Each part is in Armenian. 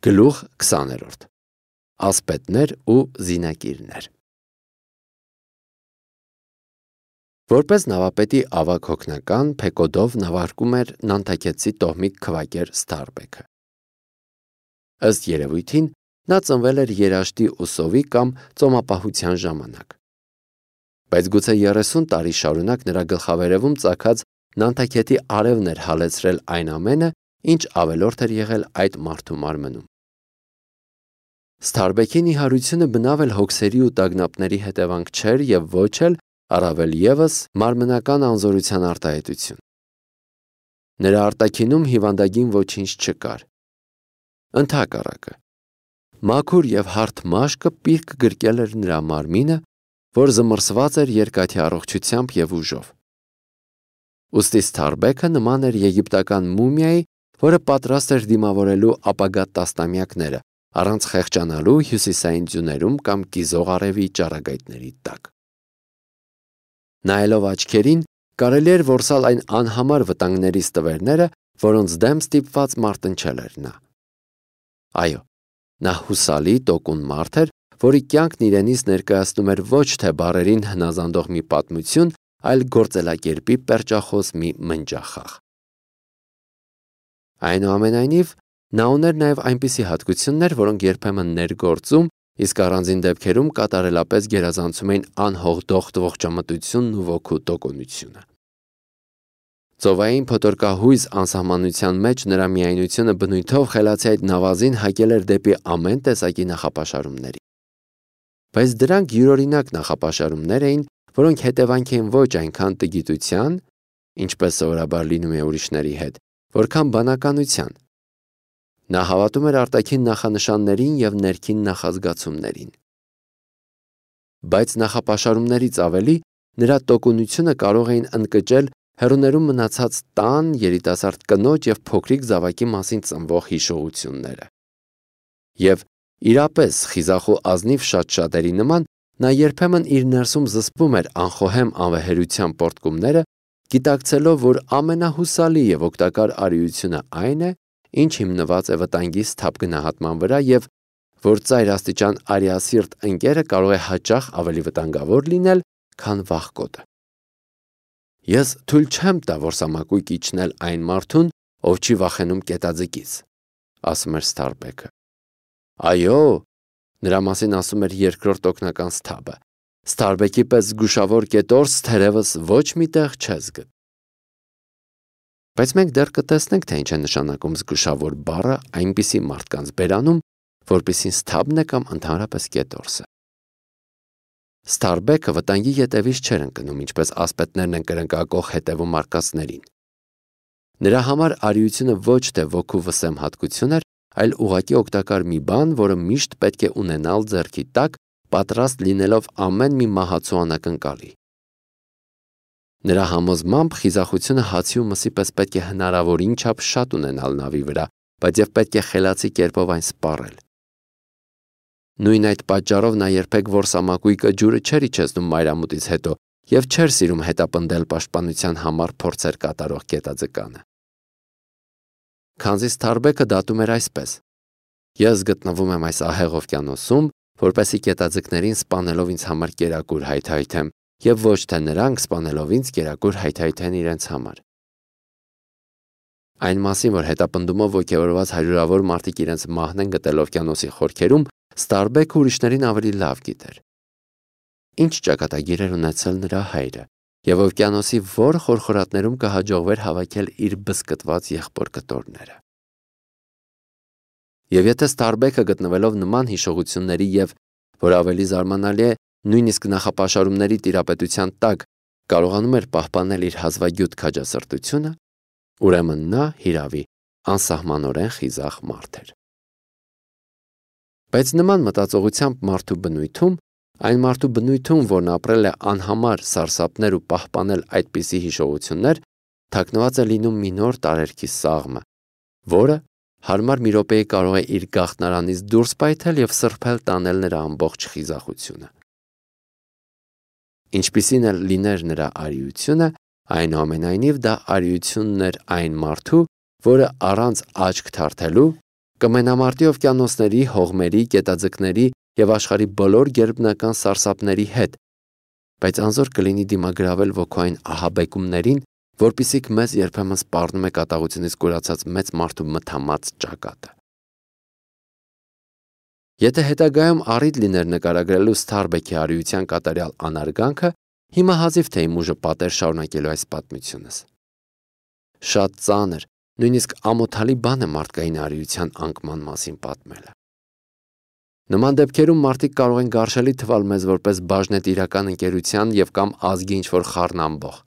Գլուխ 20. Ասպետներ ու զինակիրներ։ Որպես նավապետի ավագ հոգնական, Փեկոդով նավարկում էր նանթաքեցի տոհմիկ քվակեր Ստարբեքը։ Ըստ երևույթին, նա ծնվել էր երաշտի ուսովի կամ ծոմապահության ժամանակ։ Բայց գուցե 30 տարի շարունակ նրա գլխավերևում ծագած նանթաքեթի արևն էր հալեցրել այն ամենը, ինչ ավելորդ էր եղել այդ մարդու մարմնում։ Ստարբեքի նիհարությունը բնավ էլ հոգսերի ու տագնապների հետևանք չէր և ոչ էլ առավել ևս մարմնական անզորության արտահայտություն։ Նրա արտաքինում հիվանդագին ոչինչ չկար։ Ընդհակառակը, մաքուր և հարթ մաշկը պիրկ գրկել էր նրա մարմինը, որ զմռսված էր երկաթի առողջությամբ և ուժով։ Ուստի Ստարբեքը նման էր եգիպտական մումիայի, որը պատրաստ էր դիմավորելու ապագա տասնամյակները, առանց խեղճանալու հյուսիսային ձյուներում կամ կիզող արևի ճառագայթների տակ։ Նայելով աչքերին, կարելի էր որսալ այն անհամար վտանգների ստվերները, որոնց դեմ ստիպված մարտնչել էր նա։ Այո, նա հուսալի, տոկուն մարդ էր, որի կյանքն իրենից ներկայացնում էր ոչ թե բառերին հնազանդող մի պատմություն, այլ գործելակերպի պերճախոս մի մնջախաղ։ Այնուամենայնիվ, նա ուներ նաև այնպիսի հատկություններ, որոնք երբեմն ներգործում, իսկ առանձին դեպքերում կատարելապես գերազանցում էին անհողդոխտ ողջամտությունն ու ոգու տոկունությունը։ Ծովային փոթորկահույզ անսահմանության մեջ նրա միայնությունը բնույթով խելացի այդ նավազին հակել էր դեպի ամեն տեսակի նախապաշարումների։ Բայց դրանք յուրօրինակ նախապաշարումներ էին, որոնք հետևանք էին ոչ այնքան տգիտության, ինչպես սովորաբար լինում է ուրիշների հետ, որքան բանականության։ Նա հավատում էր արտաքին նախանշաններին և ներքին նախազգացումներին։ Բայց նախապաշարումներից ավելի նրա տոկունությունը կարող էին ընկճել հեռուներում մնացած տան, երիտասարդ կնոջ և փոքրիկ զավակի մասին ծնվող հիշողությունները։ Եվ իրապես խիզախ ու ազնիվ շատ-շատերի նման, նա երբեմն իր ներսում զսպում էր անխոհեմ անվեհերության պոռթկումները, գիտակցելով, որ ամենահուսալի և օգտակար արիությունը այն է, ինչ հիմնված է վտանգի սթափ գնահատման վրա և որ ծայրաստիճան արիասիրտ ընկերը կարող է հաճախ ավելի վտանգավոր լինել, քան վախկոտը։ Ես թույլ չեմ տա, որ սամակույկ իջնել այն մարդուն, ով չի վախենում կետաձկից, ասում էր Ստարբեքը։ Այո, նրա մասին ասում էր երկրորդ օգնական սթափը, Ստարբեքի պես զգուշավոր կետորս թերևս ոչ մի տեղ չես գտի։ Բայց մենք դեռ կտեսնենք, թե ինչ է նշանակում զգուշավոր բառը այնպիսի մարդկանց բերանում, որպիսին սթափն է կամ ընդհանրապես կետորսը։ Ստարբեքը վտանգի ետևից չէր ընկնում, ինչպես ասպետներն են կրնկակող հետևում արկածներին։ Նրա համար արիությունը ոչ թե ոգու վսեմ հատկություն էր, այլ ուղղակի օգտակար մի բան, որը միշտ պետք է ունենալ ձեռքի տակ, պատրաստ լինելով ամեն մի մահացու անակնկալի։ Նրա համոզմամբ խիզախությունը հացի ու մսի պես պետք է հնարավորին չափ շատ ունենալ նավի վրա, բայց և պետք է խելացի կերպով այն սպառել։ Նույն այդ պատճառով նա երբեք որսամակույկը ջուրը չէր իջեցնում մայրամուտից հետո և չէր սիրում հետապնդել պաշտպանության համար փորձեր կատարող կետաձկանը։ Քանզի Ստարբեքը դատում էր այսպես. Ես գտնվում եմ այս ահեղ օվկիանոսում, որպեսզի կետաձկներին սպանելով ինձ համար կերակուր հայթայթեմ, և ոչ թե նրանք սպանելով ինձ կերակուր հայթայթեն իրենց համար։ Այն մասին, որ հետապնդումով ոգևորված հարյուրավոր մարդիկ իրենց մահն են գտել օվկիանոսի խորքերում, Ստարբեքը ուրիշներին ավելի լավ գիտեր։ Ինչ ճակատագիր էր ունեցել նրա հայրը, և օվկիանոսի որ խորխորատներում կհաջողվեր հավաքել իր բզկտված եղբոր կտորները։ Եվ եթե Ստարբեքը գտնվելով նման հիշողությունների և, որ ավելի զարմանալի է, նույնիսկ նախապաշարումների տիրապետության տակ կարողանում էր պահպանել իր հազվագյուտ քաջասրտությունը, ուրեմն նա հիրավի անսահմանորեն խիզախ մարդ էր։ Բայց նման մտածողությամբ մարդու բնույթում, այն մարդու բնույթում, որն ապրել է անհամար սարսափներ ու պահպանել այդպիսի հիշողություններ, թաքնված է լինում մի նոր տարերքի սաղմը, որը հարմար մի րոպեի կարող է իր գաղտնարանից դուրս պայթել և սրբել տանել նրա ամբողջ խիզախությունը։ Ինչպիսին էլ լիներ նրա արիությունը, այնուամենայնիվ դա արիությունն էր այն մարդու, որը առանց աչք թարթելու կմենամարտի օվկիանոսների, հողմերի, գետաձկների և աշխարհի բոլոր գերբնական սարսափների հետ, բայց անզոր կլինի դիմագրավել ոգուային ահաբեկումներին, որպիսիք մեզ երբեմն սպառնում է կատաղությունից կուրացած մեծ մարդու մթամած ճակատը։ Եթե հետագայում առիթ լիներ նկարագրելու Սթարբեքի արիության կատարյալ անարգանքը, հիմա հազիվ թե իմ ուժը պատեր շարունակելու այս պատմությունս։ Շատ ծանր, նույնիսկ ամոթալի բան է մարդկային արիության անկման մասին պատմելը։ Նման դեպքերում մարդիկ կարող են գարշելի թվալ մեզ որպես բաժնետիրական ընկերության և կամ ազգի ինչ-որ խառնամբող։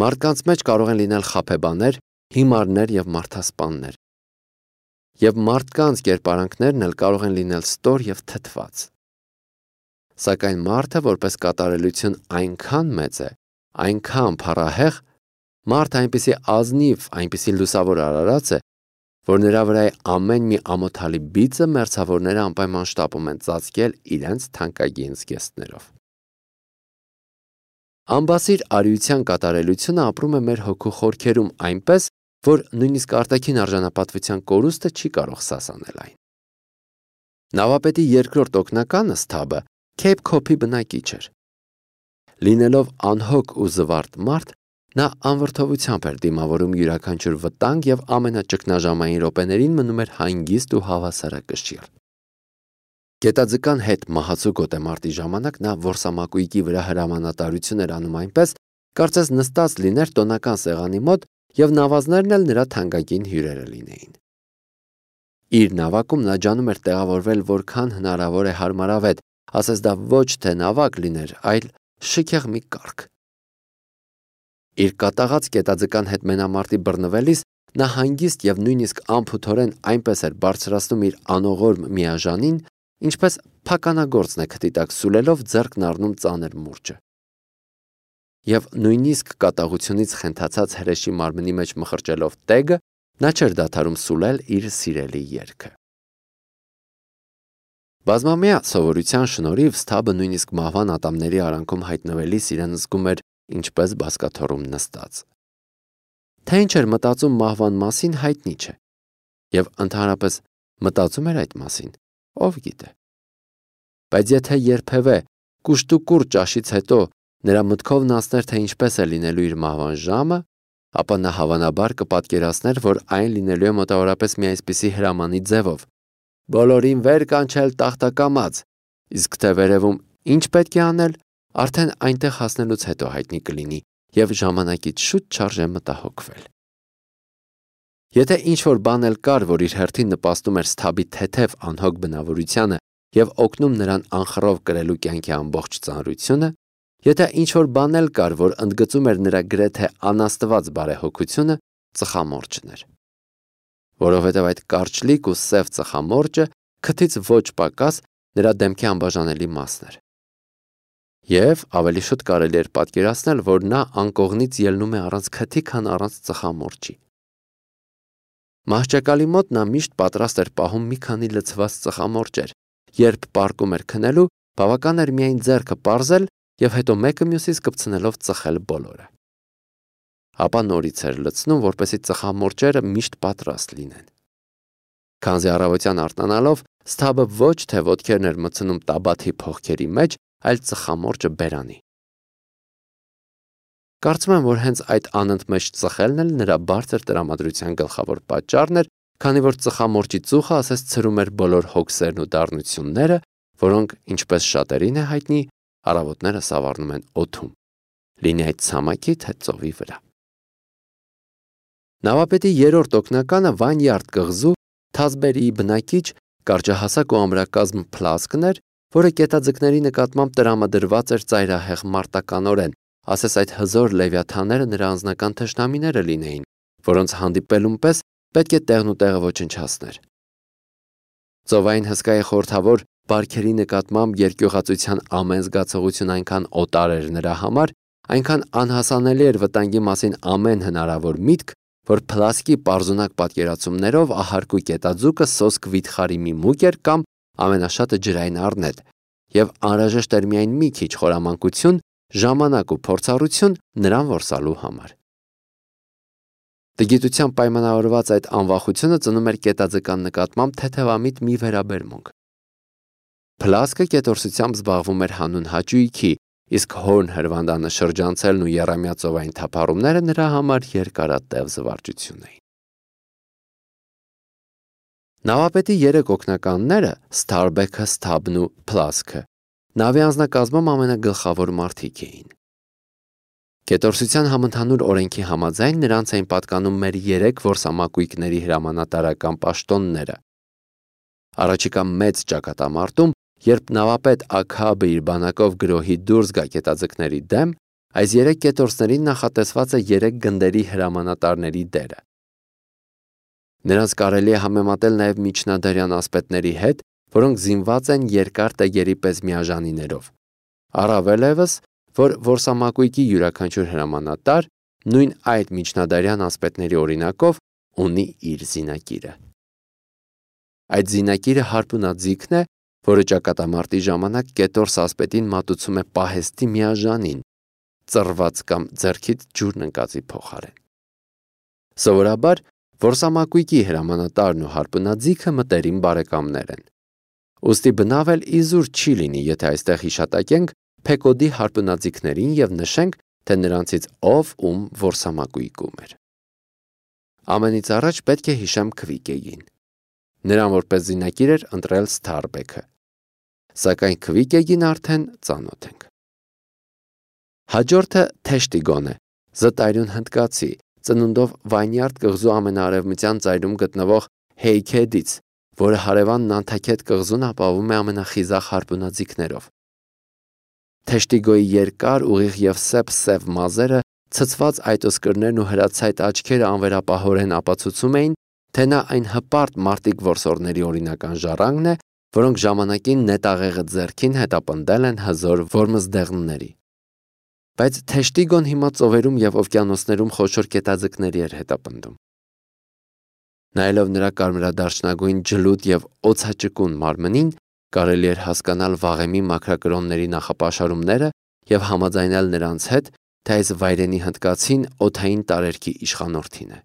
Մարդկանց մեջ կարող են լինել խաբեբաներ, հիմարներ և մարդասպաններ։ Եվ մարդկանց կերպարանքներն էլ կարող են լինել ստոր և թթված։ Սակայն մարդը որպես կատարելություն այնքան մեծ է, այնքան փառահեղ, մարդը այնպիսի ազնիվ, այնպիսի լուսավոր արարած է, որ նրա վրա է ամեն մի ամոթալի բիծը մերձավորները անպայման շտապում են ծածկել իրենց թանկագին զգեստներով։ Անբասիր արիության կատարելությունը ապրում է մեր հոգու խորքերում այնպես, որ նույնիսկ արտաքին արժանապատվության կորուստը չի կարող սասանել այն։ Նավապետի երկրորդ օգնականը Սթաբը Քեյփ Քոփի բնակիչ էր։ Լինելով անհոգ ու զվարթ մարդ, նա անվրդովությամբ էր դիմավորում յուրաքանչյուր վտանգ և ամենաճգնաժամային րոպեներին մնում էր հանգիստ ու հավասարակշիռ։ Գետաձկան հետ մահացու գոտեմարտի ժամանակ նա որսամակույկի վրա հրամանատարություն էր անում այնպես, կարծես նստած լիներ տոնական սեղանի մոտ և նավազներն էլ նրա թանկագին հյուրերը լինեին։ Իր նավակում նա ջանում էր տեղավորվել որքան հնարավոր է հարմարավետ, ասես դա ոչ թե նավակ լիներ, այլ շքեղ մի կառք։ Իր կատաղած գետաձկան հետ մենամարտի բռնվելիս նա հանգիստ և նույնիսկ անփութորեն այնպես էր բարձրացնում իր անողորմ միաժանին, ինչպես փականագործն է քթի տակ սուլելով ձեռքն առնում ծանր մուրճը։ Եվ նույնիսկ կատաղությունից խենթացած հրեշի մարմնի մեջ մխրճելով տեգը, նա չէր դադարում սուլել իր սիրելի երգը։ Բազմամյա սովորության շնորհիվ Սթաբը նույնիսկ մահվան ատամների արանքում հայտնվելիս իրեն զգում էր ինչպես բազկաթոռում նստած։ Թե ինչ էր մտածում մահվան մասին հայտնի չէ։ Եվ ընդհանրապես մտածում էր այդ մասին, ով գիտե։ Բայց եթե երբևէ կուշտուկուր ճաշից հետո նրա մտքովն անցներ, թե ինչպես է լինելու իր մահվան ժամը, ապա նա հավանաբար կպատկերացներ, որ այն լինելու է մոտավորապես մի այսպիսի հրամանի ձևով. բոլորին վեր կանչել տախտակամած, իսկ թե վերևում ինչ պետք է անել, արդեն այնտեղ հասնելուց հետո հայտնի կլինի և ժամանակից շուտ չարժե մտահոգվել։ Եթե ինչ-որ բան էլ կար, որ իր հերթին նպաստում էր Սթաբի թեթև անհոգ բնավորությանը և օգնում նրան անխռով կրելու կյանքի ամբողջ ծանրությունը, եթե ինչ-որ բան էլ կար, որ ընդգծում էր նրա գրեթե անաստված բարեհոգությունը, ծխամորճն էր։ Որովհետև այդ կարճլիկ ու սև ծխամորճը քթից ոչ պակաս նրա դեմքի անբաժանելի մասն էր։ Եվ ավելի շուտ կարելի էր պատկերացնել, որ նա անկողնից ելնում է առանց քթի, քան առանց ծխամորճի։ Մահճակալի մոտ նա միշտ պատրաստ էր պահում մի քանի լցված ծխամորճեր, երբ պառկում էր քնելու, բավական էր միայն ձեռքը պարզել և հետո մեկը մյուսից կպցնելով ծխել բոլորը։ Ապա նորից էր լցնում, որպեսզի ծխամորճերը միշտ պատրաստ լինեն։ Քանզի առավոտյան արթնանալով Սթաբը ոչ թե ոտքերն էր մտցնում տաբաթի փողքերի մեջ, այլ ծխամորճը բերանի։ Կարծում եմ, որ հենց այդ անընդմեջ ծխելն էլ նրա բարձր տրամադրության գլխավոր պատճառն էր, քանի որ ծխամորճի ծուխը ասես ցրում էր բոլոր հոգսերն ու դառնությունները, որոնք, ինչպես շատերին է հայտնի, առավոտները սավառնում են օդում, լինի այդ ցամաքի թե ծովի վրա։ Նավապետի երրորդ օգնականը Վանյարդ կղզու Թազբերի բնակիչ կարճահասակ ու ամրակազմ Փլասկն էր, որը գետաձկների նկատմամբ տրամադրված էր ծայրահեղ մարտականորեն, ասես այդ հզոր լևիաթանները նրա անձնական թշնամիները լինեին, որոնց հանդիպելուն պես պետք է տեղն ու տեղը ոչնչացներ։ Ծովային հսկայի խորհրդավոր բարքերի նկատմամբ երկյուղածության ամեն զգացողություն այնքան օտար էր նրա համար, այնքան անհասանելի էր վտանգի մասին ամեն հնարավոր միտք, որ Փլասկի պարզունակ պատկերացումներով ահարկու կետաձուկը սոսկ վիթխարի մի մուկ էր կամ ամենաշատը ջրային առնետ, և անհրաժեշտ էր միայն մի քիչ խորամանկություն, ժամանակ ու փորձառություն նրան որսալու համար։ Տգիտությամբ պայմանավորված այդ անվախությունը ծնում էր կետաձկան նկատմամբ թեթևամիտ մի վերաբերմունք։ Փլասկը կետորսությամբ զբաղվում էր հանուն հաճույքի, իսկ հորն հրվանդանը շրջանցելն ու եռամյա ծովային թափառումները նրա համար երկարատև զվարճություն էին։ Նավապետի 3 օգնականները՝ Սթարբեքը, Սթաբն ու Փլասկը, նավի անձնակազմում ամենագլխավոր մարդիկ էին։ Կետորսության համընդհանուր օրենքի համաձայն նրանց էին պատկանում մեր 3 որսամակույկների հրամանատարական պաշտոնները։ Առաջիկա մեծ ճակատամարտում, երբ նավապետ Աքաբը իր բանակով գրոհի դուրս գա կետաձկների դեմ, այս 3 կետորսներին նախատեսված է 3 գնդերի հրամանատարների դերը։ Նրանց կարելի է համեմատել նաև միջնադարյան ասպետների հետ, որոնք զինված են երկար տեգերի պես միաժանիներով։ Առավել ևս, որ որսամակույկի յուրաքանչյուր հրամանատար նույն այդ միջնադարյան ասպետների օրինակով ունի իր զինակիրը։ Այդ զինակիրը հարպունաձիգն է, որը ճակատամարտի ժամանակ կետորս ասպետին մատուցում է պահեստի միաժանին, ծռված կամ ձեռքից ջուրն ընկածի փոխարեն։ Սովորաբար որսամակույկի հրամանատարն ու հարպունաձիգը մտերիմ բարեկամներ են։ Ուստի բնավ էլ իզուր չի լինի, եթե այստեղ հիշատակենք Փեկոդի հարպունաձիգներին եւ նշենք, թե նրանցից ով ում որսամակույկում էր։ Ամենից առաջ պետք է հիշեմ Քվիկեին։ Նրան որպես զինակիր էր ընտրել Սթարբեքը, սակայն Քվիկեին արդեն ծանոթ ենք։ Հաջորդը Թեշտիգոն է, զտայրուն հնդկացի, ծնունդով Վայնյարդ կղզու ամենաարևմտյան ծայրում գտնվող Հեյքեդից, որը հարևան Նանթաքետ կղզուն ապահովում է ամենախիզախ հարպունաձիգներով։ Թեշտիգոյի երկար, ուղիղ եւ սև մազերը, ցցված այտոսկրներն ու հրացայտ աչքերը անվերապահորեն ապացուցում էին, թե նա այն հպարտ մարտիկ որսորդների օրինական ժառանգն է, որոնք ժամանակին նետաղեղը ձեռքին հետապնդել են հզոր որմզդեղների։ Բայց Թեշտիգոն հիմա ծովերում եւ օվկիանոսներում խոշոր կետաձկների էր հետապնդում։ Նայելով նրա կարմրադարչնագույն ջլուդ եւ օձաճկուն մարմնին, կարելի էր հասկանալ վաղեմի մաքրակրոնների նախապաշարումները եւ համաձայնել նրանց հետ, թե այս վայրենի հնդկացին օդային տարերքի իշխանորդին է։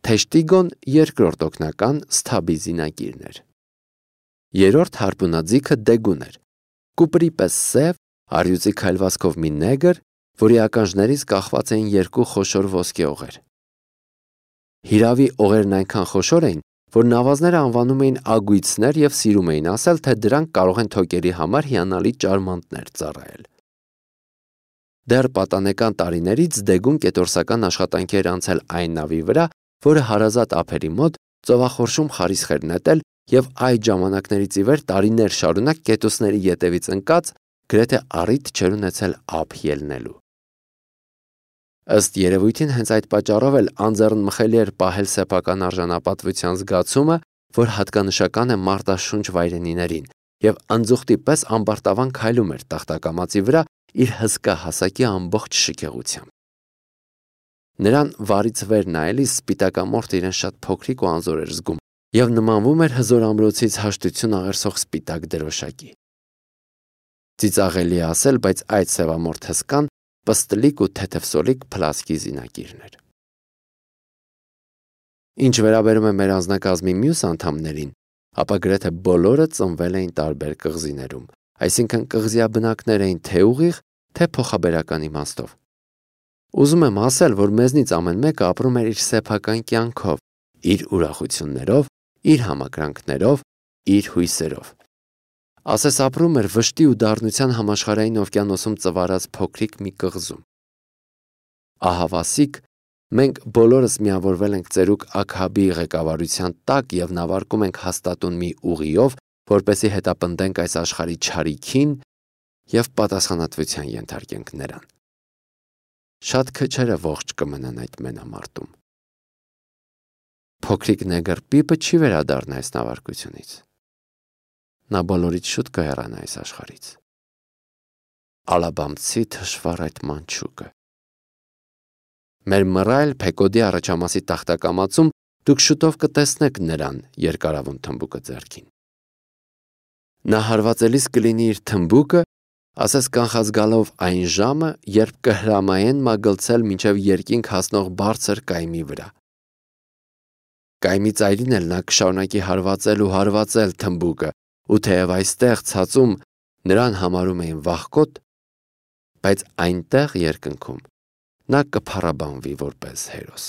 Թեշտիգոն երկրորդ օգնական Սթաբի զինակիրն էր։ Երրորդ հարպունաձիգը Դեգուն էր, կուպրի պես սև, արյուծի քայլվածքով մի նեգր, որի ականջներից կախված էին 2 խոշոր ոսկե օղեր։ Հիրավի օղերն այնքան խոշոր էին, որ նավազները անվանում էին ագույցներ եւ սիրում էին ասել, թե դրանք կարող են թոկերի համար հիանալի ճարմանտներ ծառայել։ Դեռ պատանեկան տարիներից Դեգուն կետորսական աշխատանքի էր անցել այն նավի վրա, որը հարազատ ափերի մոտ ծովախորշում խարիսխ էր նետել եւ այդ ժամանակներից ի վեր տարիներ շարունակ կետուսների ետևից ընկած գրեթե առիթ չէր ունեցել ափ ելնելու։ Ըստ երևույթին հենց այդ պատճառով էլ անձեռնմխելի էր պահել սեփական արժանապատվության զգացումը, որ հատկանշական է մարտաշունչ վայրենիներին, եւ անձուխտի պես ամբարտավան քայլում էր տախտակամածի վրա իր հսկա հասակի ամբողջ շքեղությամբ։ Նրան վարից վեր նայելիս սպիտակամորթը իրեն շատ փոքրիկ ու անզոր էր զգում եւ նմանվում էր հզոր ամրոցից հաշտություն աղերսող սպիտակ դրոշակի։ Ծիծաղելի է ասել, բայց այդ սևամորթ հսկան պստլիկ ու թեթևսոլիկ Փլասկի զինակիրն էր։ Ինչ վերաբերում է մեր անձնակազմի մյուս անդամներին, ապա գրեթե բոլորը ծնվել էին տարբեր կղզիներում, այսինքն կղզիաբնակներ էին թե ուղիղ, թե փոխաբերական իմաստով։ Ուզում եմ ասել, որ մեզնից ամեն մեկը ապրում էր իր սեփական կյանքով, իր ուրախություններով, իր համակրանքներով, իր հույսերով։ Ասես ապրում էր վշտի ու դառնության համաշխարհային օվկիանոսում ծվարած փոքրիկ մի կղզում։ Ահավասիկ, մենք բոլորս միավորվել ենք ծերուկ Աքաբի ղեկավարության տակ եւ նավարկում ենք հաստատուն մի ուղիով, որպեսզի հետապնդենք այս աշխարհի չարիքին եւ պատասխանատվության ենթարկենք նրան։ Շատ քչերը ողջ կմնան այդ մենամարտում։ Փոքրիկ նեգր Պիպը չի վերադառնա այս նավարկությունից։ Նա բոլորից շուտ կհեռանա այս աշխարհից։ Ալաբամցի թշվառ այդ մանչուկը։ Մեր մռայլ Փեկոդի առաջամասի տախտակամածում դուք շուտով կտեսնեք նրան երկարավուն թմբուկը ձեռքին։ Նա հարվածելիս կլինի իր թմբուկը ասես կանխած գալով այն ժամը, երբ կհրամայեն մագլցել մինչև երկինք հասնող բարձր կայմի վրա։ Կայմի ծայրին էլ նա կշարունակի հարվածել ու հարվածել թմբուկը, ու թեև այստեղ ցածում նրան համարում էին վախկոտ, բայց այնտեղ երկնքում նա կփառաբանվի որպես հերոս։